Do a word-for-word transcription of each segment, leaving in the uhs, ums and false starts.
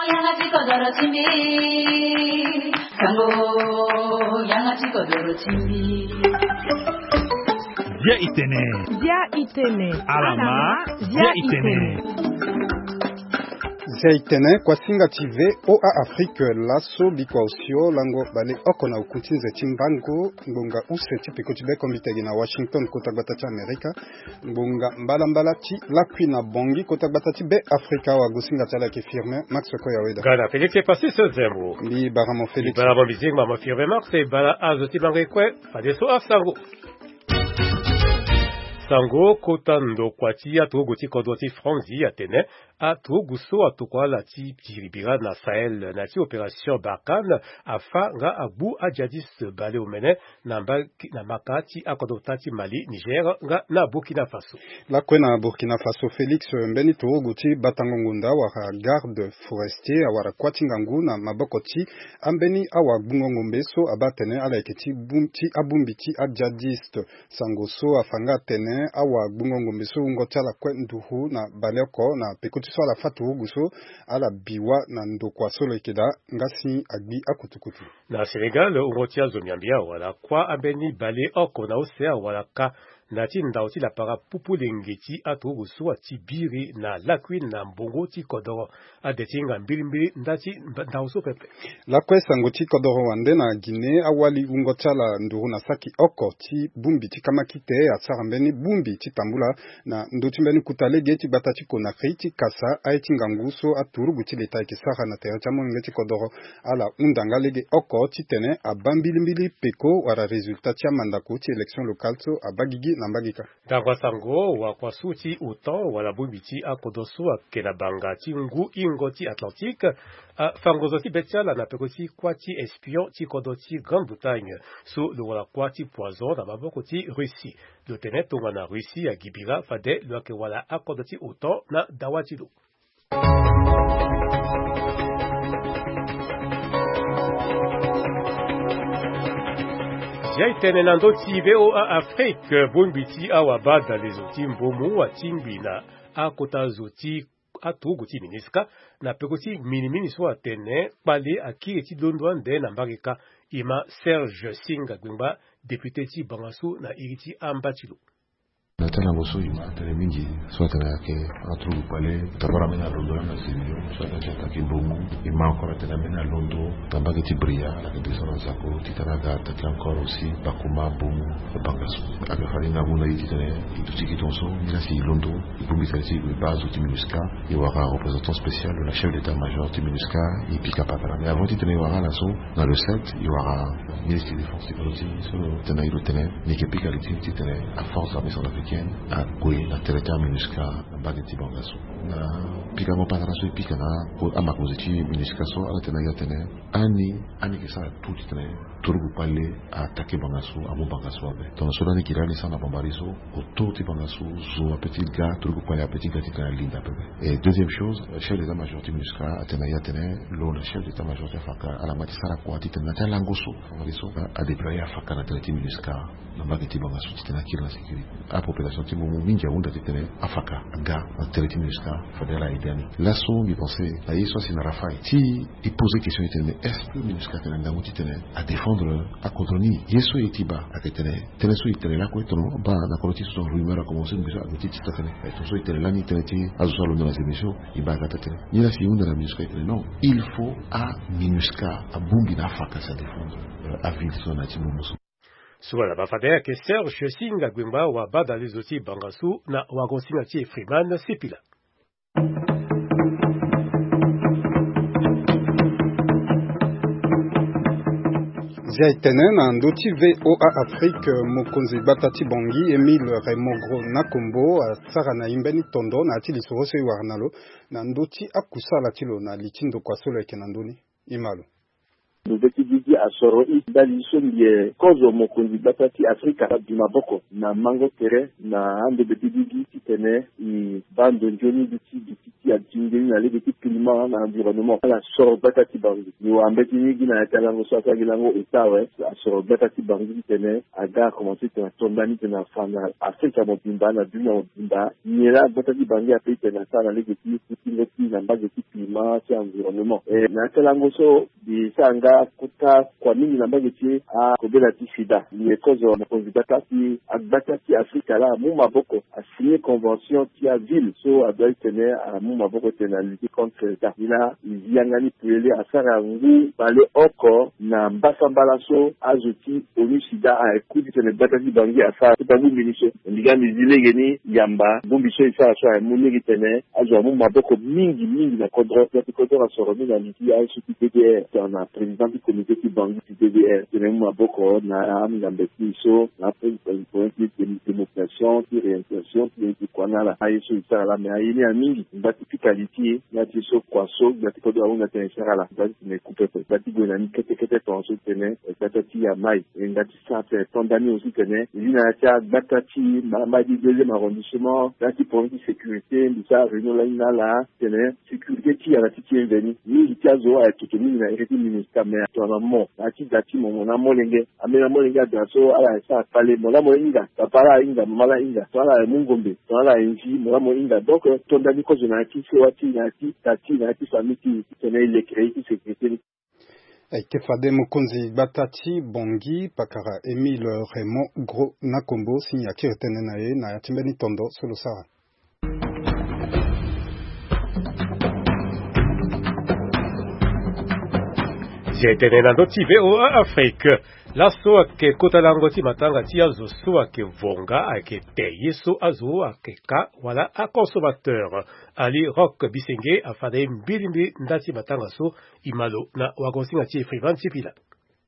Yanga ti kodoro ti mbi. Sango, yanga ti kodoro ti mbi. Dia itene. Dia itene. Alama. Dia itene. Dia itene. Kuasinga ti V O A Afrique, laso bikua osio lango baleoko na oku ti nze ti mbango ngbonga use ti peko ti bekombitege na Washington, kota gbata ti Amerika. Ngbonga mbalambala ti lakui na Bangui, kota gbata ti Be Afrika. Wagosinga ti ala yeke Firmin Max Koyaweda. Gana Félix Epasis Zembo. Mbi bara mo Félix. Mbi bara mo mbi zingba mo Firmin Max e bara azo ti mango e kue. Fadeso asango. Sango kota ndokua ti aturugu ti kodro ti Franzi atene aturugu so atokua ala ti biri bira na Sahel na ya ti opération Barkhane afa nga agbu ajihadiste baleomene na mba na maka ti akodro ota ti Mali, Niger nga na Burkina Faso. Lakue na Burkina Faso, Félix, mbeni turugu ti batango ngonda wala garde forestier awara kuâ ti ngangu na maboko ti ambeni awagbungo ngombe so abaa atene ala yeke ti bum ti abongbi ti ajihadiste. Sango so afa nga atene awagbungo ngombe so wungo ti ala kue nduru na baleoko na peko ti so ala fâ turugu so ala bi wâ na ndokua so lo yeke daa nga si agbi akutukutu. Na Sénégal, wungo ti azo miambia wala kuâ ambeni baleoko na use awara ka na ya ti ndau ti lapara pupu lenge ti aturugu so ati biri na lakui na mbongo ti kodoro. Ade ti hinga mbilimbili nda ti ndau so pepe. Lakue sango ti kodoro wande na Guinée, awali wungo ti ala nduru na saki oko ti bongbi ti kamakite asara mbeni bongbi ti tambula na ndö ti mbeni kuta lege ti gbata ti Conakry ti kasa aye ti ngangu so aturugu ti leta ayeke sara na tere ti amolenge ti kodoro. Ala hunda nga lege oko titene abaa mbilimbili peko wala résultat ti amandako ti élection locale so abaa gigi na mbage kâ. Ndangba sango wakua su ti OTAN wala bongbi ti akodro so ayeke na banga ti ngu hingo ti Atlantique afa ngonzo ti be ti ala na peko ti kuâ ti espion ti kodro ti Grande-Bretagne so lo wara kuâ ti poison na maboko ti Russie. Lo tene tongana Russie agi bira fade lo yeke wara akodro ti OTAN na dawa ti lo. Zia e tene na ndö ti V O A Afrique, bongbi ti awabadalezo ti mbomu atingbi na akota zo ti aturugu ti MINUSCA na peko ti minimini so atene kpale akiri ti londo ande na mbage kâ. E ma Serge Singa Gbengba, député ti bangasu na iri ti amba ti lo. Na tënë na yango so e ma atene mingi so atene ayeke aturugu kpale d'abord ambeni alondo lani na Sédhiou so atene ti attaqué Mbomou. E ma encore atene ambeni alondo na mbage ti Bria, ala yeke descendre na Zako titene aga attaqué encore aussi Bakouma, Mbomou, Bangassou. Ayeke fade na ngu na e titene e duti gi tongaso, nilaa si e londo, e bongbi tënë ti e gue baa zo ti MINUSCA. E wara représentant spécial wala chef d'état-major ti MINUSCA, e pika pakara. Mais avant titene e wara ala so, na le sept, e wara ministre de défense ti kodro ti e so tene e lo tene ni yeke pika li ti e titene aforce armée centrafricaine ague na tere ti aMINUSCA na mbage ti Bangassou. Na pikango patara so e pika na amakonzi ti MINUSCA so, ala tene na e atene ani, ani yeke sara tout titene turugu kpale a attaqué Bangassou, amu Bangassou ape. Tongana so lani e yeke lani e sara na Bambari so, autour ti Bangassou, zo ape ti ga, turugu kpale ape ti ga titene alinda pepe. Et deuxième chose, euh, chef d'état-major ti MINUSCA atene na e atene lo na chef d'état-major ti afaka ala ma ti sara kua titene na ti alango so, Bambari so, a, adéployé afaka na tere ti MINUSCA na mbage ti Bangassou titene akiri na sécurité. Apopulation ti Mbomou mingi ahunda titene afaka aga na tere ti MINUSCA, fade ala aidé ani. Laso mbi pensé na ye so asi na Rafahi ti e posé question titene est-ce que MINUSCA atene na ngangu titene adéfendre akodro ni? Ye so e ye ti baa ayeke tene, tënë so e tene lakue tongana baa na kodro ti e so tongana rumeur akomanse, MINUSCA ague ti tita tënë. Eh, tongana so e tene lani tënë ti azo so alondo na émission, e baa aga taa tënë. Nilaa si e hunda na MINUSCA e tene non, il faut aMINUSCA abongbi na afaka si adéfendre, euh, aville so na ya ti Mbomou so. So wala baa fade ayeke Serge Singa Gbengba, wabadalezo ti Bangassou na wagosinga ti e Freeman Sipila. Zia e tene na ndö ti V O A Afrique, mokonzi gbata ti Bangui Émile Raymond Gros Nakombo asara na e mbeni tondo na ya ti lisoro so e wara na lo na ndö ti akusala ti lo na li ti ndokua so lo yeke na ndö ni. E ma lo. Ndo be ti gigi asoro i ndali so mbi ye kozo mokonzi gbata ti Afrika abi maboko na mango tere na ando be ti gigi titene i baa ndo nzoni mbi ti duti ti adingeni na lege ti climat na environnement ala soro gbata ti bango. Ni wara mbeti ni gi na ya ti alango so asara gi lango ota awe asoro gbata ti bango titene aga akomanse tene ato ndani tene afa na Afrika mobimba na dunia mobimba. Nyen laa gbata ti bango ape tene asara na lege ti kutingo ti na mbage ti climat ti environnement. E na ya ti alango so mbi sara nga kota kua mingi na mbage ti akobela ti sida. Mbi ye kozo mokonzi gbata ti agbata ti Afrika laa amu maboko asigné convention ti aville so adoit titene amu maboko titene alutter contre sida. Ni laa e zi yanga ni polele asara ngu baleoko na mbasambala so azo ti onu sida aye ku titene gbata ti bangi asara ti bangu mbeni so. Mbi ga mbi zi lege ni yamba bongbi so e sara so aye mu lege titene azo amu maboko mingi mingi na kodro. Gbata ti kodro asoro ni na li ti aye so ti D D R tongana président ti comité ti bangi ti D D R tene mu maboko na amingambeti so na ape ti démocration ti réinsertion ti kua na ala aye so e sara laa me aye ni amingi. Mba ti pika li ti e na ti so kua so gba ti kodro ahunda tene e sara laa gba ti tene e ku pepe gba ti gue na ni kete kete tonga so tene e gbata ti e amai. E nga ti sara tene to ndani aussi tene e zi na ya ti agbata ti mama di deuxième arrondissement na ti problème ti sécurité mbi sara réunion lani na ala tene sécurité ti ala ti ti e mveni mingi ti azo aye toto mingi na ere ti minista mais tongana mo na ya ti da ti mo mo na molenge. Ambeni amolenge ada so ala ye sara kpale mo laa mo hinga papa laa ahinga mama laa ahinga tongana ala ye mu ngombe tongana ala ye nzi mo laa mo hinga donc to ndani kozo na ya ti sewa ti na ya ti da ti na ya ti famille ti titene e lekere ye ti sécurité ni. Ayeke fade mokonzi gbata ti Bangui pakara Émile Raymond Gros Nakombo si a kiri tënë na ye na ya ti mbeni tondo so lo sara. Zia tene na ndö ti VOA Afrique. Laso ayeke kota lango ti matanga ti azo so ayeke vonga ayeke te ye so azo ayeke ka wala aconsommateur. Ali Rock Bisenge afa na ye mbilimbili nda ti matanga so. E ma lo na wagosinga ti Frivan ti Pila.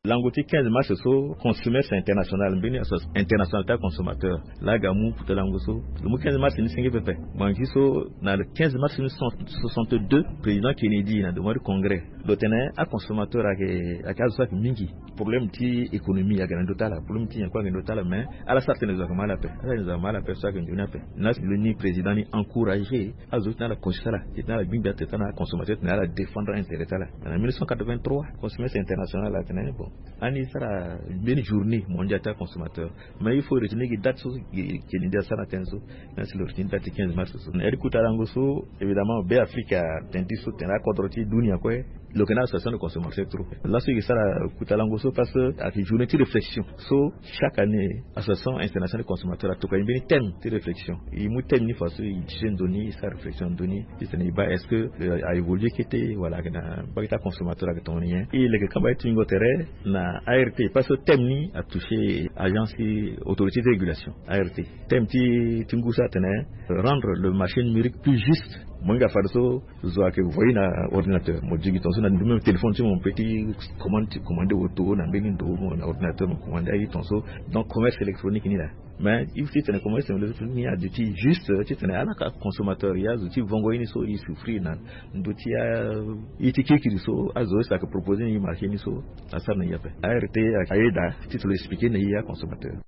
Lango ti quinze mars so consommateur international mbeni association internationale ti aconsommateur laa aga mu puta lango so lo mu quinze mars ni senge pepe. Bangi so na le quinze mars mille neuf cent soixante-deux président Kennedy na devant du congrès lo tene aconsommateur ayeke ayeke azo so ayeke mingi. Problème ti économie ayeke na ndö ti ala problème ti nyen kue ayeke na ndö ti ala mais ala sara tene zo ayeke ma ala ape ala tene zo ayeke ma ala ape so ayeke nzoni ape. Na lo ni président ni encouragé azo ti na ala kosi ti ala ti na ala gbingbi atene ti ala consommateur ti na ala défendre intérêt ti ala. Na mille neuf cent quatre-vingt-trois consommateur international atene bon ani sara mbeni journée mondiale ti aconsommateur. Mais il faut retenir gi date so Kennedy asara na tënë so. Mais si lo retenir date ti quinze mars so na eri kuta lango so évidemment be afrique atene ti so tene akodro ti dunia kue. Lo yeke na association de consommateur trop laso e yeke sara kuta lango so parce que ayeke journée ti réflexion so chaque année association internationale de consommateur atokua e mbeni thème ti réflexion. E mu thème ni faso e juger ndo ni e sara réflexion ndo ni. Titene e baa est-ce que a évolué kete wala ayeke na mbage ti aconsommateur ayeke tongana nyen e leke kamba ti tingo tere na art parce que thème ni atoucher agence ti autorité de régulation art. Thème ti ti ngu so atene rendre le marché numérique plus juste. Mo hinga fade so zo ayeke voye na ordinateur mo digi tongaso na ndu même téléphone ti mo mo pe ti commande ti commande auto na mbeni ndo mo na ordinateur mo commande aye tongaso. Donc commerce électronique ni laa mais il faut titene commerce électronique ni aduti juste titene ala ka consommateur ye azo ti vongo ye ni so e souffrir na ndo ti a ye ti kirikiri so azo so ayeke proposer na e marché ni so asara na e ape art ayeda titene lo expliquer na e aconsommateur.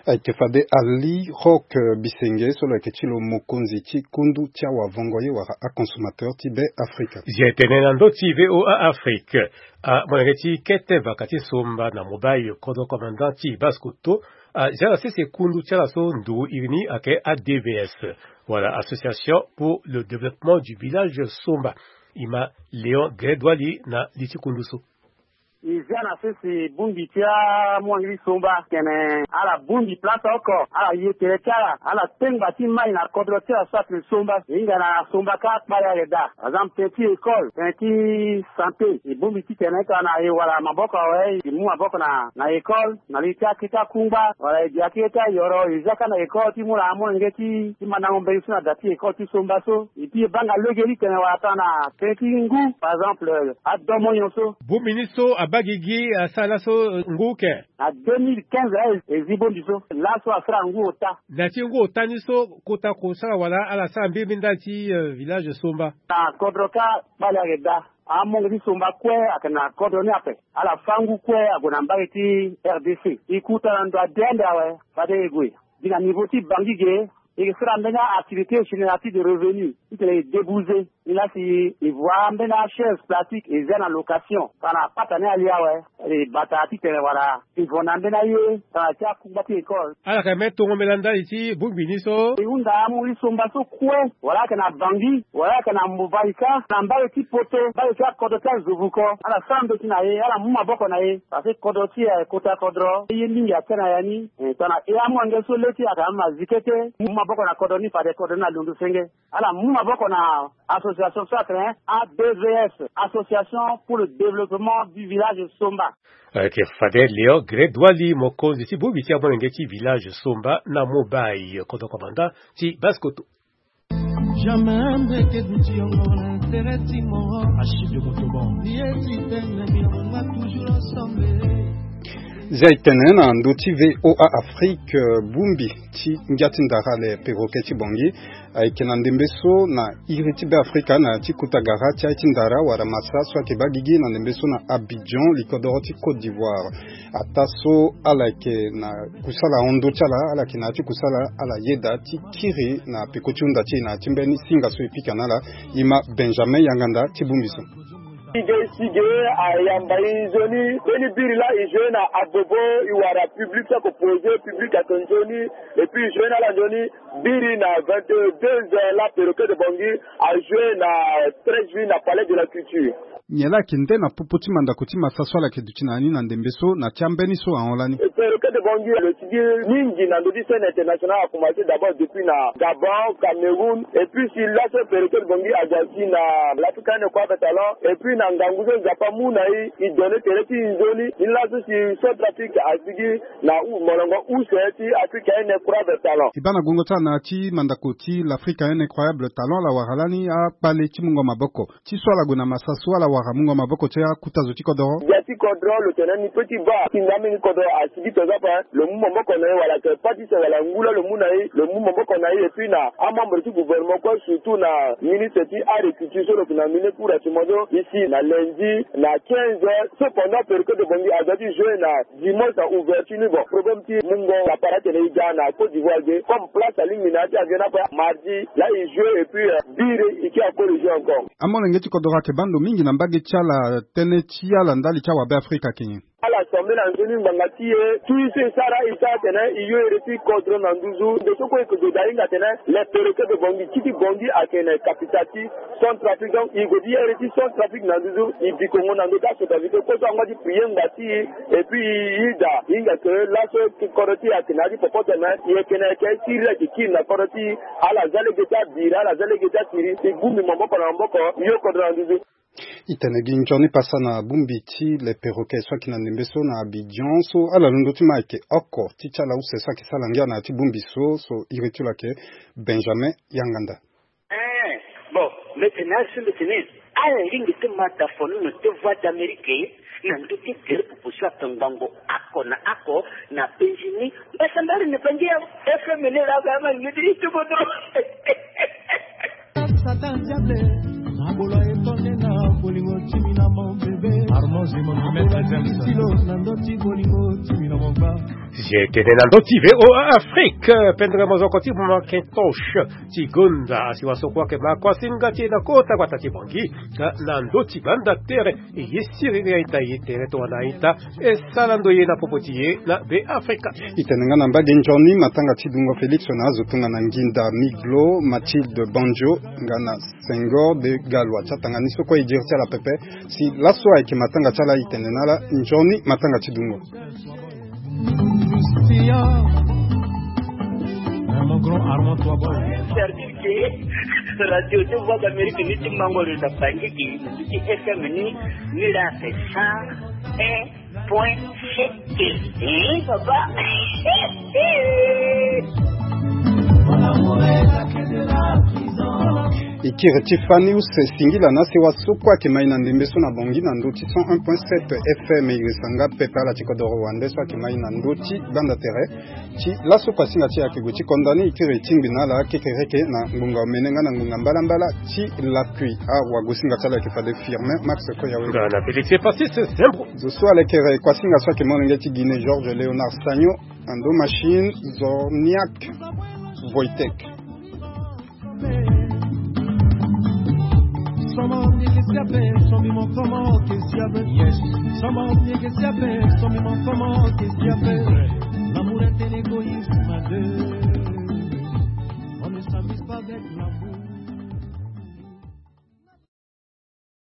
Ayeke fade ali rock bisenge so lo yeke ti lo mokonzi ti kundu ti awavongo ye wala aconsommateur ti be afrika. Zia tene na ndö ti VOA Afrique. Amolenge ti kete vaka ti somba na mobile kodro commandant ti Basse Kotto azia na sese kundu ti ala so nduru iri ni ayeke ADVS wala association pour le développement du village somba. E ma Léon Grédoili na li ti kundu so. E zia na sese bongbi ti amolenge ti somba tene ala bongbi place oko ala ye tere ti ala ala tengba ti mai na kodro ti ala so atene somba e hinga na somba kâ kpale ayeke daa. Par exemple tënë ti école tënë ti santé e bongbi titene tongana e wara maboko awe e mu maboko na na école na li ti akete akungba wala e bi akete ayoro e zia kâ na école ti mu na amolenge ti mandango mbeni so na da ti école ti somba so. Epi e baa nga lege ni tene wala tongana tënë ti ngu par exemple adomo nyon so. Bongbi ni so abaa gigi asara laso ngu ke. Na deux mille quinze aye e zi bongbi so laso asara ngu ota. Na ti ngu ota ni so kota kosara wala ala sara mbirimbiri ndali ti village somba. Na kodro kâ kpale ayeke daa. Amonge ti somba kue ayeke na kodro ni ape. Ala fâ ngu kue ague na mbage ti R D C. E kuta na ndo ade ande awe, fade e gue gi na niveau ti Bangui ge. E sara mbeni activité génératrice de revenu titene e débouser. Ni la si e voit mbeni achaise plastique e zia na location, tongana apata ni ali awe, e bata titene wala e vo na mbeni aye tongana ti akungba ti école. Ala yeke même tongo mbela ndali ti bongbi ni so. E hunda amu ti somba so kue, wala ayeke na Bangui, wala ayeke na Mbovaika, na mbage ti Poto, mbage ti akodro ti azovuko, ala sara ndö ti na e, ala mu maboko na e. Parce que kodro ti e ayeke kota kodro ye mingi atia na ya ni. Eh, tongana e amolenge so le ti e ayeke ama zikete, mu maboko na kodro ni, fade kodro ni alondo senge. Ala mu maboko na association so atene A B V S, Association pour le Développement du Village Somba. Ayeke fade Léon Grédoili, mokonzi ti bongbi ti amolenge ti village Somba na Mobaye, kodro commandant ti Basse-Kotto. Jamais mbeke duti yongo na intérêt ti moro. Achille de Montauban. Ye ti tene bilongo toujours ensemble. Zia e tene na ndö ti V O A Afrique, eh, bongbi ti ngia ti ndara le perroquet ti Bangui ayeke na ndembe so na iri ti Beafrika na ya ti kota gara ti aye ti ndara wala masa so ayeke baa gigi na ndembe so na Abidjan, likodoro ti Côte d'Ivoire. Ataa so ala yeke na kusala hon ndö ti ala, ala yeke na ya ti kusala, ala yeda ti kiri na peko ti hunda ti e na ya ti mbeni singa so e pika na ala. E ma Benjamin Yanganda ti bongbi so. Sige sige ayamba e nzoni mbeni biri laa e joué na Abobo, e wara public so ayeke posé, public ayeke nzoni. Et puis e joué na ala nzoni biri na vingt-deux heures laa perroquet de Bangui a joué na treize juillet na Palais de la Culture. Nyen laa ayeke nde na popo ti mandako ti masa so ala yeke duti na ya ni na ndembe so na ti ambeni so ahon lani? Perroquet de Bangui lo sigi mingi na ndö ti scène internationale, a commencé d'abord depuis na Gabon, Cameroun, et puis si laso perroquet de Bangui ague si na l'African Incroyable Talent, et puis na ngangu so Nzapa amu na e, e donné tere ti e nzoni. Ni laso si Centrafrique asigi na u-, molongo use ti African Incroyable Talent. E baa na gongo ti ala na ya ti mandako ti l'African Incroyable Talent, ala wara lani akpale ti mungo maboko. Ti so ala gue na masa so ala wara mungo maboko ti akuta zo ti kodoro. Gbia ti kodro lo tene ni peut ti baa ti nda mingi kodro asigi tongana ape, lo mu maboko na e wala ayeke pâ ti se wala ngu laa lo mu na e, lo mu maboko na e. Et puis na amembre ti gouvernement kue, surtout na ministre ti agriculture so lo yeke nominé pour asimodo ici na lundi na quinze heures. Cependant perroquet de Bangui aza ti joué na dimanche na ouverture ni. Bon, problème ti mungo lapara atene e ga na Côte d'Ivoire ge, comme place alingbi na ya ti avion ni ape, mardi laa e joué et puis, euh, biri e ke acorrigé encore. Amolenge ti kodoro ayeke baa ndo mingi na mbage ti ala, tënë ti ala ndali ti awabe Afrika ayeke nyen? Ala sambela nzoni ngbanga ti e, tout ye so e sara, e sara atene e yo ere ti kodro na nduzu. Ndo so kue e yeke gue daa e hinga atene le perroquet de Bangui, ti ti Bangui ayeke na capitale ti Centrafrique. Donc e gue ti ere ti Centrafrique na nduzu, e bi kongo na ndö ti asoda vite kue so angba ti prier ngba ti e. Et puis e daa e hinga ke laso kodro ti e ayeke na ya ti popoto, me e yeke na yeke siriri ayeke kiri na kodro ti e. Ala za lege ti abira, ala za lege ti asiri, e bongbi maboko na maboko, e yo kodro na nduzu. E tene gi nzoni pasa na bongbi ti le perroquet so ayeke na ndembe so na Abidjan so ala londo ti ma ayeke oko ti ti ala use so ayeke sala ngia na ya ti bongbi so. So iri ti lo ayeke Benjamin Yanganda. Eh, bon, mbi tene asi mbi tene ala lingbi ti ma dafonono ti Voix d'Amérique na ndö ti tere popo so ayeke ngbongo oko na oko na penzi ni. Mbasambari ni bangi ya F M ni laa, ba ma ngedi ti bodo. Satan diable, na bolo aye tonde na bolingo timi na mon bébé. Armand Zimon, Maître James. Silo na ndo ti bolingo timi na mon ba. Zi tene na ndö ti V O A Afrique, pendere mozoko ti Macintosh ti gonda, asi waso kue ayeke ma kua singa ti e na kota gbata ti Bangui, na ndö ti banda tere. E ye siriri a-ita, e ye tere tongana a-ita e sara ndo ye na popo ti e na Beafrika. E tene nga na mbage nzoni matanga ti dungo Félix na azo tongana nginda Miglo, Mathilde Banjo, nga na Senghor de Galois. Ti atanga ni so kue e diri ti ala pepe. Si laso ayeke matanga ti ala, e tene na ala nzoni matanga ti dungo. Mon grand Armand Toabo. Service radio ti Voix d'Amérique ni ti mango lo na Bangui, ti F M ni, ni la c'est cent un point sept. Eh, papa. Ikiri ti Fanius singila na sewa so kue ayeke mai na ndembe so na Bangui na ndö ti cent un point sept F M. Iri sanga pepe ala ti kodoro wande so ayeke mai na ndö ti gbanda tere ti laso kua singa ti e ayeke gue ti konda ni. Ikiri ti ngbi na ala kekereke na ngbonga omene nga na ngbonga mbalambala ti lakui. Awagosinga ti ala ayeke fade Firmin Max Koyawe. Nga na Félix Epasis Zembro. Zo so alekere kua singa so ayeke molenge ti Guinée, Georges Léonard Sagno. Ando machine Zorniak Wojtek. Yes. L'amour est un égoïsme à deux. On ne s'amuse pas avec l'amour.